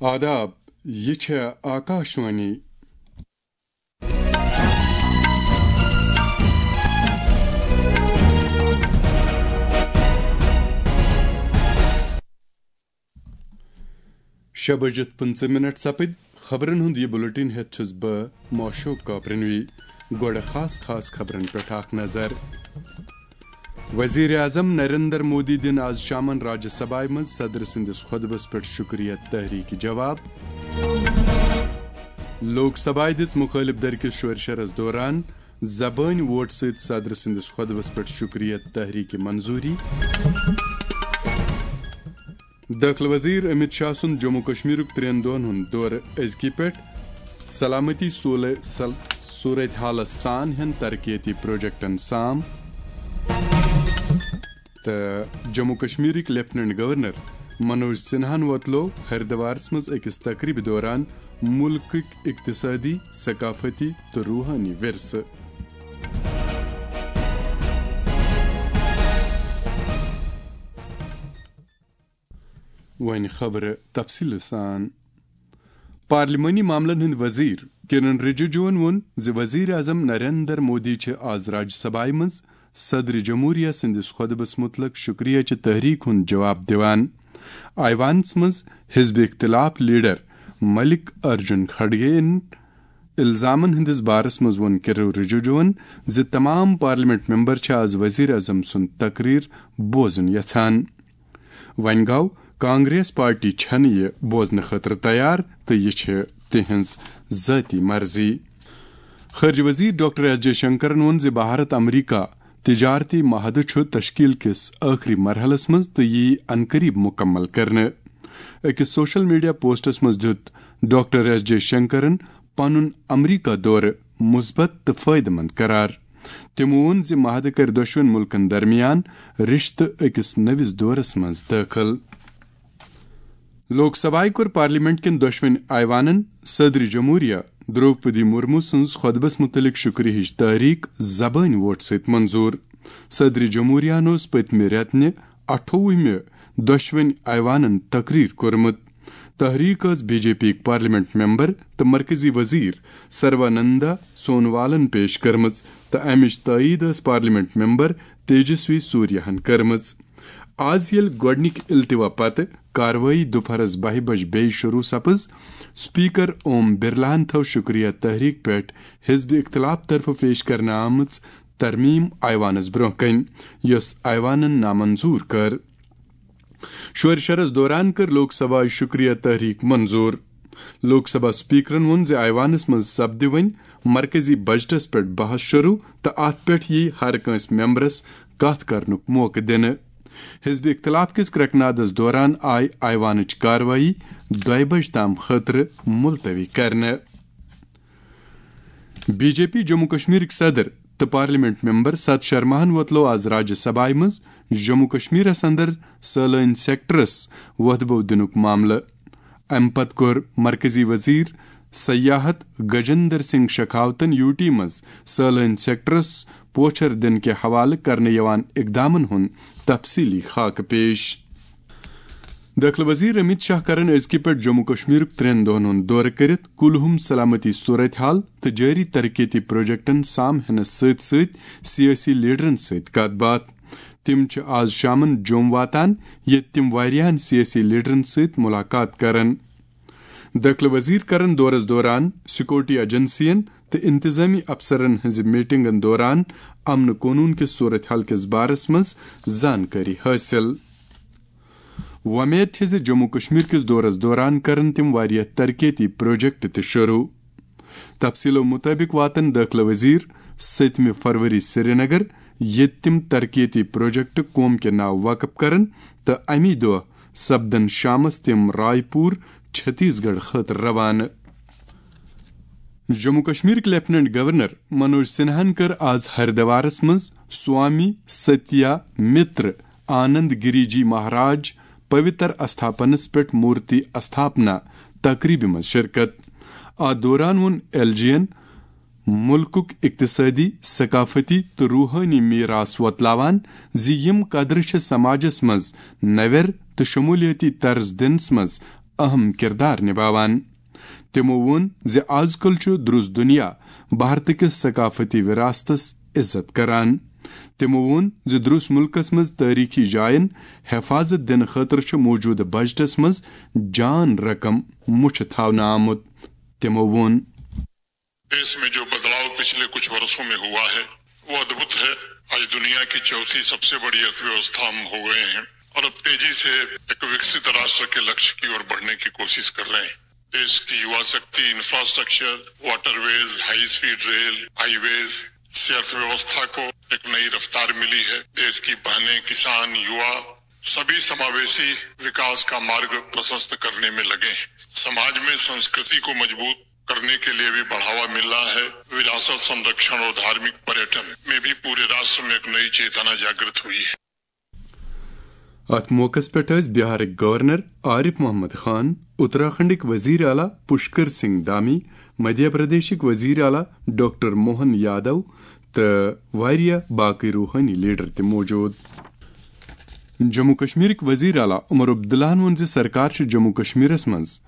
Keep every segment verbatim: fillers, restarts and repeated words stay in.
آداب، یہِ چھےٚ آکاشوانی۔ شےٚ بٔجِتھ پٕنٛژٕہ مِنٹ سپٕدۍ۔ خبرن ہُنٛد یہِ بُلٹن ہٮ۪تھ چھُس بہٕ موشوق کاپرنوی۔ گۄڈٕ خاص خاص خبرن پٮ۪ٹھ اکھ نظر۔ وزیر اعظم نریندر مودی دِن آز شامن راجیہ سبھایہ منٛز صدر سٕنٛدِس خطبس پٮ۪ٹھ شکریہ تحریک جواب۔ لوک سبھایہ دِژ مخٲلف دھرِ کِس شور شرس دوران زبٲنۍ ووٹ سۭتۍ صدر سٕنٛدِس خطبس پٮ۪ٹھ شکریہ تحریک منظوری۔ دٲخلہٕ وزیر امت شاہ سُنٛد جموں کشمیرُک ترٛٮ۪ن دۄہن ہُنٛد دورٕ أزکہِ پٮ۪ٹھ۔ سلامتی صوٗلہٕ-، سل-، صورت حالس سان ہٮ۪ن ترقیتی پروجیکٹن سام۔ تہٕ جموں کشمیرٕکۍ لیفٹیننٹ گورنر منوج سنہاہن وۄتلوو ہریدوارس منٛز أکِس تقریبہِ دوران مُلکٕکۍ اقتصٲدی، ثقافتی تہٕ روحٲنی ورثہٕ۔ وۄنۍ خبرٕ تفصیٖلہٕ سان۔ پارلیمانی معاملن ہٕنٛدۍ وزیر کِرن رِجِجوٗہن ووٚن زِ وزیر اعظم نریندر مودی چھِ آز راجیہ سبھایہ منٛز صدر جمہوریہ سٕنٛدِس خطبس مُتعلق شکریہ چہِ تحریک ہُنٛد جواب دِوان۔ ایوانس منٛز حزب اختلاف لیڈر ملک ارجن کھڑگے یَن الزامن ہٕنٛدِس بارس منٛز ووٚن کِرن رِجِجوٗہن زِ تمام پارلیمنٹ ممبر چھِ آز وزیر اعظم سُنٛد تقریر بوزُن یژھان۔ وۄنۍ گوٚو، کانگریس پارٹی چھنہٕ یہِ بوزنہٕ خٲطرٕ تیار تہٕ یہِ چھِ تِہنٛز ذٲتی مرضی۔ خارجہ وزیر ڈاکٹر ایس جے شنکرن ووٚن زِ بھارت امریکہ تجارتی معاہدٕ چھُ تشکیل کِس ٲخری مرحلس منٛز تہٕ یِیہِ عنقریب مُکمل کرنہٕ۔ أکِس سوشل میڈیا پوسٹس منٛز دیُت ڈاکٹر ایس جے شنکرن پنُن امریکہ دورٕ مثبت تہٕ فٲیدٕ مند قرار۔ تِمو ووٚن زِ معاہدٕ کَرِ دۄشوٕنۍ مُلکَن درمیان رِشتہٕ أکِس نٔوِس دورَس منٛز دٲخٕل۔ لوک سبھایہ کوٚر پارلیمنٹ کٮ۪ن دۄشوٕنۍ ایوانَن صدر جمہوریہ دروپدی مرمو سٕنٛز خطبس مُتعلق شُکریہٕچ تحریک زبٲنۍ ووٹ سۭتۍ منظور۔ صدر جمہوریہَن اوس پٔتمہِ رٮ۪تہٕ نہِ اَٹھووُہمہِ دۄشوٕنۍ ایوانَن تقریر کوٚرمُت۔ تحریک ٲس بی جے پی یِک پارلیمنٹ ممبر تہٕ مرکزی وزیر سروانندا سونوالن پیش کٔرمٕژ تہٕ امِچ تٲیید ٲس پارلیمنٹ ممبر تیجسوی سوریاہن کٔرمٕژ۔ آز ییٚلہِ گۄڈٕنِکۍ التوا پتہٕ کاروٲیی دُپہرس بَہہِ بجہِ بیٚیہِ شروع سپٕز، سپیکر اوم برلاہن تھٲو شکریہ تحریک پٮ۪ٹھ حزب اختلاف طرفہٕ پیش کرنہٕ آمٕژ ترمیم ایوانس برونٛہہ کنہِ، یۄس ایوانن نامنظور کٔر۔ شورِ شرس دوران کٔر لوک سبھایہ شکریہ تحریک منظور۔ لوک سبھا سپیکرن ووٚن زِ ایوانس منٛز سپدِ وۄنۍ مرکزی بجٹس پٮ۪ٹھ بحث شروع تہٕ اتھ پٮ۪ٹھ ییہِ ہر کٲنٛسہِ ممبرس کتھ کرنُک موقعہٕ دِنہٕ۔ حزب اختلاف کِس کرکنادس دوران آیہِ ایوانٕچ کاروٲیی دۄیہِ بجہِ تام خٲطرٕ ملتوی کرنہٕ۔ بی جے پی جموں کشمیرٕکۍ صدر تہٕ پارلیمنٹ ممبر ست شرماہن وۄتلوو آز راجیہ سبھایہ منٛز جموں کشمیرس اندر سٲلٲنۍ سیکٹرس وۄتھٕ بو دِنُک معاملہٕ۔ امہِ پتہٕ کوٚر مرکزی وزیر سیاحت گجندر سنگھ شیخاوتن یوٗ ٹی منٛز سٲلٲنۍ سیکٹرس پوچھر دِنہٕ کہِ حوالہٕ کرنہٕ یِوان اقدامن ہُنٛد تفصیٖلی خاکہٕ پیش۔ دٲخلہٕ وزیر امیت شاہ کرن أزکہِ پٮ۪ٹھ جموں کشمیرُک ترٛٮ۪ن دۄہن ہُنٛد دورٕ کٔرِتھ کُلہُم سلامتی صورتحال تہٕ جٲری ترقیتی پروجیکٹن سام ہینس سۭتۍ سۭتۍ سیٲسی لیڈرن سۭتۍ کتھ باتھ۔ تِم چھِ آز شامن جوٚم واتان، ییٚتہِ تِم واریاہن سیٲسی لیڈرن سۭتۍ مُلاقات کرن۔ دٲخلہٕ وزیر کرن دورس دوران سیکورٹی ایجنسین تہٕ انتظامی افسرن ہٕنٛزِ میٹنگن دوران امن قونوٗن کِس صورتحال کِس بارس منٛز زانکٲری حٲصِل۔ وۄمید چھِ زِ جموں کشمیر کِس دورس دوران کرن تِم واریاہ ترقیتی پروجیکٹ تہِ شروع۔ تفصیلو مُطٲبِق واتن دٲخلہٕ وزیر سٔتمہِ فروری سرینگر، ییٚتہِ تِم ترقیتی پروجیکٹ قوم کہِ ناو وقف کرن تہٕ امی دۄہ سپدن شامس تِم رائے پور، چھتیس گڑھ خٲطرٕ روانہٕ۔ جموں کشمیرٕکۍ لیفٹیننٹ گورنر منوج سنہاہن کٔر آز ہریدوارس منٛز سوامی ستیا متر آنند گری جی مہاراج پویتر استھاپنس پٮ۪ٹھ مورتی استھاپنا تقریبہِ منٛز شرکت۔ اتھ دوران ووٚن ایل جی ین مُلکُک اقتصٲدی، ثقافتی تہٕ روحٲنی میراث وۄتلاوان زِ یِم قدرٕ چھِ سماجس منٛز نوٮ۪ر تہٕ شمولیٲتی طرز دِنس منٛز اہم کردار نبھاوان۔ تِمو ووٚن زِ از کل چھُ درُس دُنیا بھارتہٕ کِس ثقافتی وراثتس عزت کران۔ تِمو ووٚن زِ درُس مُلکس منٛز تٲریخی جاین حفاظت دِنہٕ خٲطرٕ چھُ موجودٕ بجٹس منٛز جان رقم مُچھِ تھاونہٕ آمُت۔ تِمو ووٚن۔ देश में जो बदलाव पिछले कुछ वर्षों में हुआ है, वो अद्भुत है। आज दुनिया की चौथी सबसे बड़ी अर्थव्यवस्था हम हो गए हैं और अब तेजी से एक विकसित राष्ट्र के लक्ष्य की ओर बढ़ने की कोशिश कर रहे हैं। देश की युवा शक्ति, infrastructure, waterways, high speed rail, highways से अर्थव्यवस्था को एक नई रफ्तार मिली है। देश की बहनें, किसान, युवा सभी समावेशी विकास का मार्ग प्रशस्त करने में लगे हैं। समाज में संस्कृति को मजबूत करने के लिए भी बढ़ावा मिल रहा है। विरासत संरक्षण और धार्मिक पर्यटन में भी पूरे राष्ट्र में एक नई चेतना जागृत हुई है। اتھ موقعس پٮ۪ٹھ ٲسۍ بہارٕکۍ گورنر عارف محمد خان، اتراکھنڈٕکۍ وزیر اعلیٰ پشکر سنگھ دامی، مدھیہ پردیشٕکۍ وزیر اعلیٰ ڈاکٹر موہن یادو تہٕ واریاہ باقٕے روحٲنی لیڈر تہِ موجود۔ جموں کشمیرٕکۍ وزیر اعلیٰ عمر عبداللہن ووٚن زِ سرکار چھِ جموں کشمیرس منٛز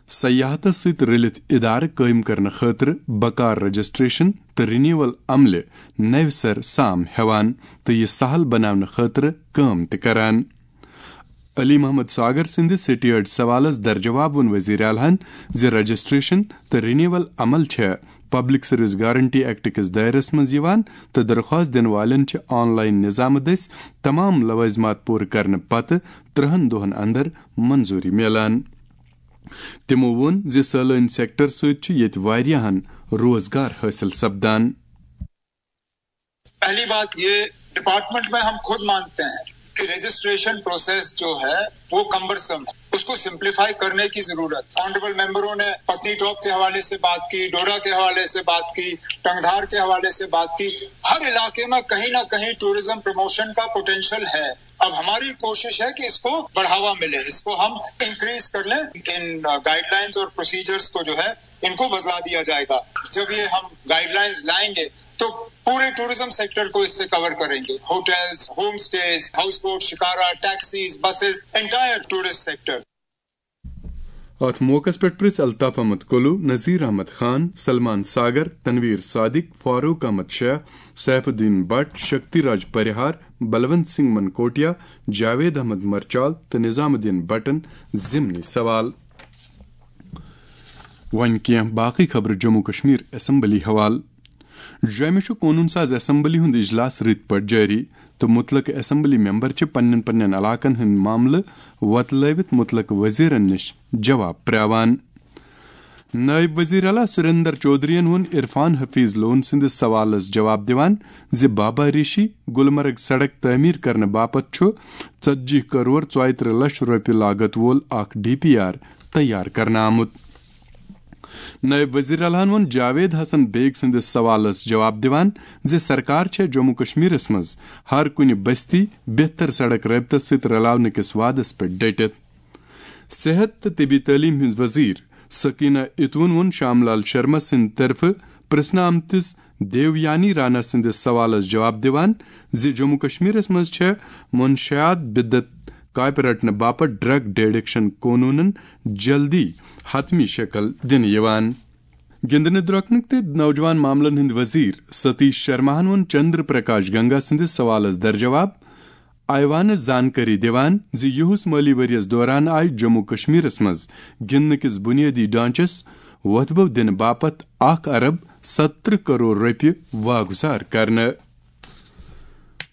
سیاحتس سۭتۍ رٔلِتھ ادارٕ قٲیِم کرنہٕ خٲطرٕ بکار رجسٹریشن تہٕ رینیول عملہِ نوِ سر سام ہیوان تہٕ یہِ سہل بناونہٕ خٲطرٕ کٲم تہِ کران۔ علی محمد ساگر سٕنٛدِ سٹیٹ سوالس درجواب ووٚن وزیر اعلیٰ ہن زِ رجسٹریشن تہٕ رینیول عمل چھےٚ پبلک سروس گارنٹی ایکٹ کِس دٲیرس منٛز یِوان تہٕ درخواست دِنہٕ والٮ۪ن چھِ آن لائن نظامہٕ دٔسۍ تمام لوازمات پوٗرٕ کرنہٕ پتہٕ ترٕہن دۄہن اندر منظوٗری میلان۔ تِمو ووٚن زِ سٲلٲنۍ سیکٹر سۭتۍ چھُ ییٚتہِ واریاہن روزگار حٲصِل سپدان۔ پہلی بات، یہ ڈپارٹمنٹ میں ہم خود مانتے ہیں کہ رجسٹریشن پروسیس جو ہے وہ کمبرسم ہے، اس کو سمپلیفائی کرنے کی ضرورت۔ آنریبل ممبروں نے پتنی ٹاپ کے حوالے سے بات کی، ڈوڈا کے حوالے سے بات کی، ٹنگدھار کے حوالے سے بات کی۔ ہر علاقے میں کہیں نہ کہیں ٹورزم پروموشن کا پوٹینشل ہے۔ اب ہماری کوشش ہے کہ اس کو بڑھاوا ملے، اس کو ہم انکریز کر لیں۔ ان گائیڈ لائنز اور پروسیجرز کو جو ہے ان کو بدلا دیا جائے گا۔ جب یہ ہم گائیڈ لائنز لائیں گے تو پورے ٹورزم سیکٹر کو اس سے کور کریں گے، hotels, home stays, house boat, shikara, taxis, buses, entire tourist sector. اتھ موقعس پٮ۪ٹھ پرژھ الطاف احمد کلو، نذیر احمد خان، سلمان ساگر، تنویر صادق، فاروق احمد شاہ، سیف الدین بٹ، شکتی راج پریہار، بلونت سنگھ منکوٹیا، جاوید احمد مرچال تہٕ نظام الدین بٹن ضمنی سوال۔ وۄنۍ کینٛہہ باقٕے خبرٕ جموں کشمیر اسمبلی حوالہٕ۔ جوٚمہِ چھُ قونوٗن ساز اسمبلی ہُنٛد اجلاس رٕتۍ پٲٹھۍ جٲری تہٕ مُتلقہٕ اسمبلی ممبر چھِ پننٮ۪ن پننٮ۪ن علاقن ہٕنٛدۍ معاملہٕ وۄتلٲوِتھ مُتلقہٕ وزیرن نِش جواب پرٛاوان۔ نٲیِب وزیر اعلیٰ سُریندر چودھرین ووٚن عرفان حفیظ لون سٕنٛدِس سوالس جواب دِوان زِ بابا ریشی گلمرگ سڑک تعمیٖر کرنہٕ باپتھ چھُ ژتجی کرور ژۄیہِ ترٕٛہ لچھ رۄپیہِ لاگت وول اکھ ڈی پی آر تیار کرنہٕ آمُت۔ نٲیِب وزیر اعلیٰ ہن ووٚن جاوید حسن بیگ سٕنٛدِس سوالس جواب دِوان زِ سرکار چھےٚ جموں کشمیرس منٛز ہر کُنہِ بستی بہتر سڑک رٲبطس سۭتۍ رلاونہٕ کِس وعدس پٮ۪ٹھ ڈٔٹِتھ۔ صحت تہٕ طبی تعلیٖم ہٕنٛز وزیر سکینہ اتوون ووٚن شام لال شرما سٕنٛدِ طرفہٕ پرژھنہٕ آمتِس دیویانی رانا سٕنٛدِس سوالس جواب دِوان زِ جموں کشمیرس منٛز چھےٚ منشیات بدعت کاپہِ رٹنہٕ باپتھ ڈرگ ڈیڈکشن قونوٗنن جلدی حتمی شکل دِنہٕ یِوان۔ گِنٛدنہٕ درۄکنٕکۍ تہٕ نوجوان معاملن ہٕنٛدۍ وزیر ستیش شرماہن ووٚن چندر پرکاش گنگا سٕنٛدِس سوالس درجواب ایوانس زانکٲری دِوان زِ یِہُس مٲلی ؤرۍ یَس دوران آیہِ جموں کشمیرس منٛز گِنٛدنہٕ کِس بُنیٲدی ڈھانچس وۄتھبو دِنہٕ باپتھ اکھ ارب ستترٕہ کرور رۄپیہِ واگُزار کرنہٕ۔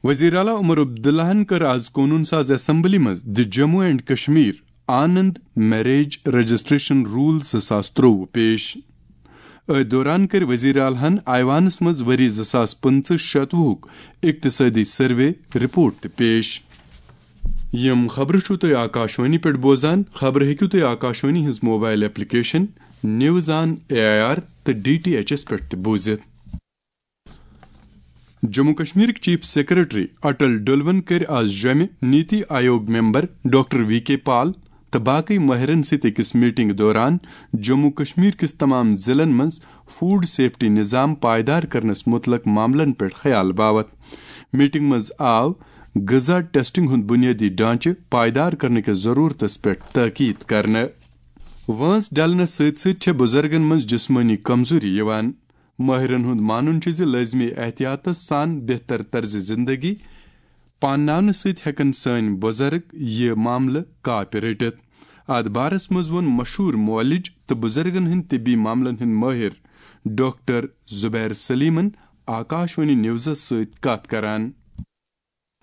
وزیر اعلیٰ عمر عبداللہن کٔر آز قونوٗن ساز اسمبلی منٛز the Jammu and Kashmir Anand marriage registration rule زٕ ساس ترٛۆوُہ پیش۔ أتھۍ دوران کٔرۍ وزیر اعلیٰ ہن ایوانس منٛز ؤری زٕ ساس پٕنٛژٕہ شتوُہُک اقتصٲدی سروے رپورٹ تہِ پیش۔ یِم خبرٕ چھِو تُہۍ آکاشوانی پٮ۪ٹھ بوزان۔ خبرٕ ہیٚکِو تُہۍ آکاشوانی ہٕنٛز mobile application news on A I R تہٕ ڈی ٹی ایچ ایس پٮ۪ٹھ تہِ بوٗزِتھ۔ جموں کشمیرٕکۍ چیف سیکرٹری اٹل ڈلون کٔرۍ آز جوٚمہِ NITI Aayog member doctor V K Paul تہٕ باقٕے ماہرن سۭتۍ أکِس میٹنگ دوران جموں کشمیر کِس تمام ضلعن منٛز فوڈ سیفٹی نظام پائیدار کرنس متعلق معاملن پٮ۪ٹھ خیال باوتھ۔ میٹنگ منٛز آو غذا ٹیسٹنگ ہُنٛد بنیٲدی ڈھانچہٕ پائیدار کرنہٕ کِس ضرورتس پٮ۪ٹھ تاکید کرنہٕ۔ وٲنٛس ڈلنس سۭتۍ سۭتۍ چھےٚ بُزرگن منٛز جسمٲنی کمزوری یِوان۔ مٲہرن ہُنٛد مانُن چھُ زِ لٲزمی احتیاطس سان بہتر طرزِ زندگی پانناونہٕ سۭتۍ ہٮ۪کن سٲنۍ بُزرگ یہِ معاملہٕ کاپہِ رٔٹِتھ۔ اتھ بارس منٛز ووٚن مشہوٗر معالج تہٕ بُزرگن ہٕنٛدۍ طبی معاملن ہٕنٛدۍ مٲہر ڈاکٹر زبیر سلیمن آکاشوانی نیوزس سۭتۍ کتھ کران۔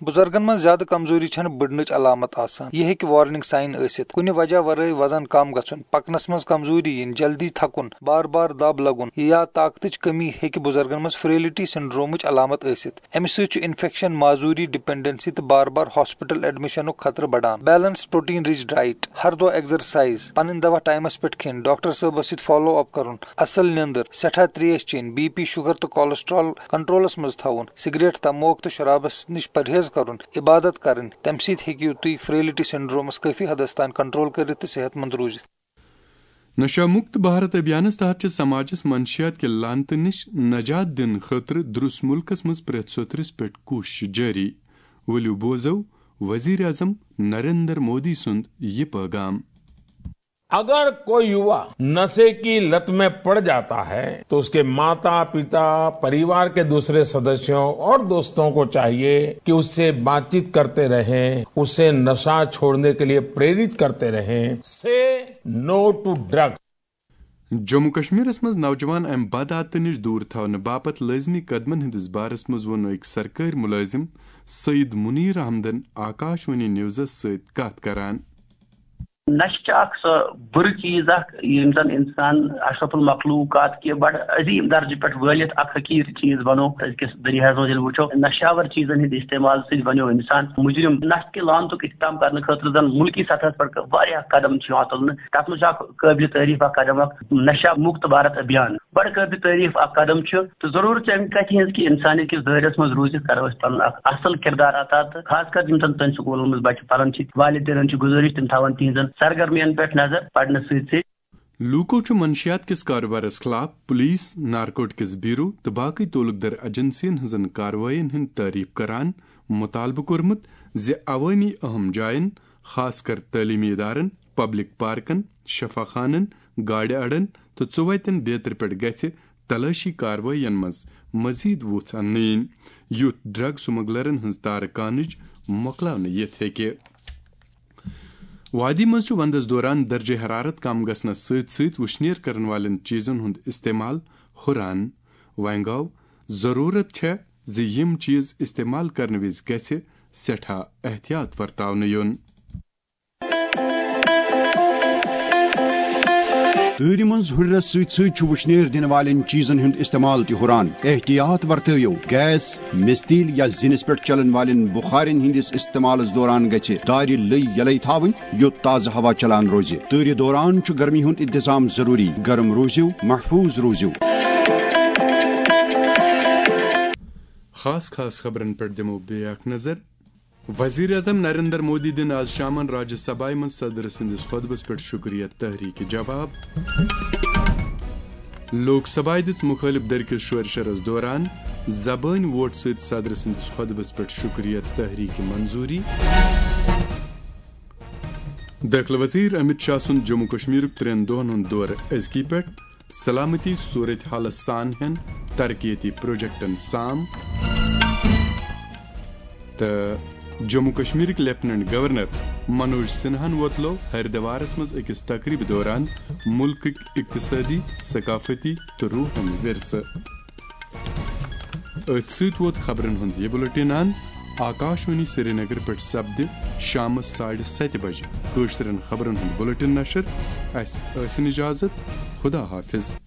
بُزرگن منٛز زیادٕ کمزوری چھنہٕ بٕڈنٕچ علامت آسان۔ یہِ ہیٚکہِ وارننگ سائن ٲسِتھ۔ کُنہِ وجہ ورٲے وزن کم گژھُن، پکنس منٛز کمزوری یِنۍ، جلدی تھکُن، بار بار دب لگُن یا طاقتٕچ کمی ہیٚکہِ بُزرگن منٛز فریلٹی سنڈرومٕچ علامت ٲسِتھ۔ امہِ سۭتۍ چھُ انفیکشن، معذوری، ڈپینڈنسی تہٕ بار بار ہاسپٹل ایڈمشنُک خطرٕ بڑان۔ بیلنس پروٹین رچ ڈائٹ، ہر دۄہ ایگزرسائز، پنٕنۍ دوا ٹائمس پٮ۪ٹھ کھیٚنۍ، ڈاکٹر صٲبس سۭتۍ فالو اپ کرُن، اصل نیندٕر، سیٹھاہ تریش چیٚنۍ، بی پی، شوگر تہٕ کولیسٹرال کنٹرولس منٛز تھاوُن، سگریٹ، تموک تہٕ شرابس نِش پرہیز کرُن، عبادت کرٕنۍ، تمہِ سۭتۍ ہیٚکِو تُہۍ فریلٹی سنڈرومس کٲفی حدس تام کنٹرول کٔرِتھ تہٕ صحت مند روٗزِتھ۔ نشہ مکت بھارت ابھیانس تحت چھِ سماجس منشیات کہِ لعنتہٕ نِش نجات دِنہٕ خٲطرٕ درُس مُلکس منٛز پرٛٮ۪تھ سوٚتھرِس پٮ۪ٹھ کوٗشش جٲری۔ ؤلِو بوزو وزیر اعظم نریندر مودی سُنٛد یہِ پٲغام۔ अगर कोई युवा नशे की लत में पड़ जाता है तो उसके माता, पिता, परिवार के दूसरे सदस्यों और दोस्तों को चाहिए कि उससे बातचीत करते रहें, उसे नशा छोड़ने के लिए प्रेरित करते रहें। Say no to drugs. Jammu کشمیرس منٛز نوجوان امہِ بدعاتہٕ نِش دوٗر تھاونہٕ باپتھ لٲزمی قدمن ہٕنٛدِس بارس منٛز ووٚن أکۍ سرکٲرۍ مُلٲزِم سعید منیر احمدن آکاشوانی نیوزس سۭتۍ کتھ کران۔ نشہٕ چھِ اکھ سۄ بُرٕ چیٖز اکھ، ییٚمۍ زن انسان اشرف المخلوقات کہِ بڑٕ عظیٖم درجہٕ پٮ۪ٹھ وٲلِتھ اکھ حقیٖر چیٖز بنوو۔ أزکِس دُنیاہس منٛز ییٚلہِ وٕچھو، نشہٕ آور چیٖزن ہٕنٛدۍ استعمال سۭتۍ بنیو انسان مجرم۔ نشہٕ کہِ لعنتُک اختتام کرنہٕ خٲطرٕ زن مُلکی سطحس پٮ۪ٹھ واریاہ قدم چھِ یِوان تُلنہٕ۔ تتھ منٛز چھُ اکھ قٲبلِ تعریٖف اکھ قدم اکھ نشہ مُکت بھارت ابھیان۔ بڑٕ قٲبلِ تعریٖف اکھ قدم چھُ تہٕ ضروٗرت چھِ امہِ کتھِ ہٕنٛز کہِ انسانیت کِس دٲیرس منٛز روٗزِتھ کرو أسۍ پنُن اکھ اصل کردار ادا تہٕ خاص کر یِم زن تُہنٛدٮ۪ن سکوٗلن منٛز بچہِ پران چھِ، والدینن چھِ گُزٲرِش تِم تھاوان تِہنٛزن سرگرمین پٮ۪ٹھ نظر پرنہٕ سۭتۍ سۭتۍ۔ لوٗکو چھُ منشیات کِس کارٕبارس خٕلاف پُلیٖس، نارکوٹکس بیوٗرو تہٕ باقٕے تعلقدار ایجنسین ہٕنٛزن کاروٲیین ہُنٛد تعریف کران مُطالبہٕ کوٚرمُت زِ عوٲمی اہم جاین، خاص کر تعلیمی ادارن، پبلک پارکن، شفا خانن، گاڑِ اڈن تہٕ ژُوتٮ۪ن بیترِ پٮ۪ٹھ گژھِ تلٲشی کاروٲیین منٛز مزید وُژھ اننہٕ یِنۍ، یُتھ ڈرگ سمگلرن ہٕنٛز تارٕ کانٕج مۄکلاونہٕ یِتھ ہیٚکہِ۔ وادی منٛز چھُ وندس دوران درجہ حرارت کم گژھنس سۭتۍ سۭتۍ وُشنیر کرن والٮ۪ن چیزن ہُنٛد استعمال ہُران۔ وۄنۍ گوٚو، ضروٗرت چھےٚ زِ یِم چیز استعمال کرنہٕ وِزِ گژھِ سٮ۪ٹھاہ احتیاط ورتاونہٕ یُن۔ تۭرِ منٛز ہُرنس سۭتۍ سۭتۍ چھُ وُشنیر دِنہٕ والٮ۪ن چیزن ہُنٛد استعمال تہِ ہُران۔ احتیاط ورتٲیِو۔ گیس، مِستیٖل یا زِنِس پٮ۪ٹھ چلن والٮ۪ن بُخارٮ۪ن ہٕنٛدِس استعمالس دوران گژھِ دارِ لٔۍ یلے تھاوٕنۍ، یوٚت تازٕ ہوا چلان روزِ۔ تۭرِ دوران چھُ گرمی ہُنٛد انتظام ضروٗری۔ گرم روٗزِو، محفوٗظ روٗزِو۔ خاص خاص خبرن پٮ۪ٹھ دِمو بیٚیہِ اکھ نظر۔ وزیر اعظم نریندر مودی دِن آز شامن راجیہ سبھایہ منٛز صدر سٕنٛدِس خطبس پٮ۪ٹھ شکریہ تحریٖک جواب۔ لوک سبھایہ دِژ مُخٲلِف دٔرکِس شورِ شرس دوران زبٲنۍ ووٹ سۭتۍ صدر سٕنٛدِس خطبس پٮ۪ٹھ شکریہ تحریٖک منظوٗری۔ دٲخلہٕ وزیر امت شاہ سُنٛد جموں کشمیرُک ترٛٮ۪ن دۄہن ہُنٛد دورٕ أزکی پٮ۪ٹھ۔ سلامتی صورت حالس سان ہٮ۪ن ترقیتی پروجیکٹن سام۔ تہٕ جموں کشمیرٕکۍ لیفٹیننٹ گورنر منوج سنہاہن ووتلو ہریدوارس منٛز أکِس تقریبہِ دوران مُلکٕکۍ اقتصٲدی، ثقافتی تہٕ روحٲنی ورثہٕ۔ أتھۍ سۭتۍ ووت خبرن ہُنٛد یہِ بُلٹن اند۔ آکاشوانی سرینگر پٮ۪ٹھ سپدِ شامس ساڑِ ستہِ بجہِ کٲشرٮ۪ن خبرن ہُنٛد بُلٹن نشر۔ اسہِ ٲسِن اجازت۔ خدا حافظ۔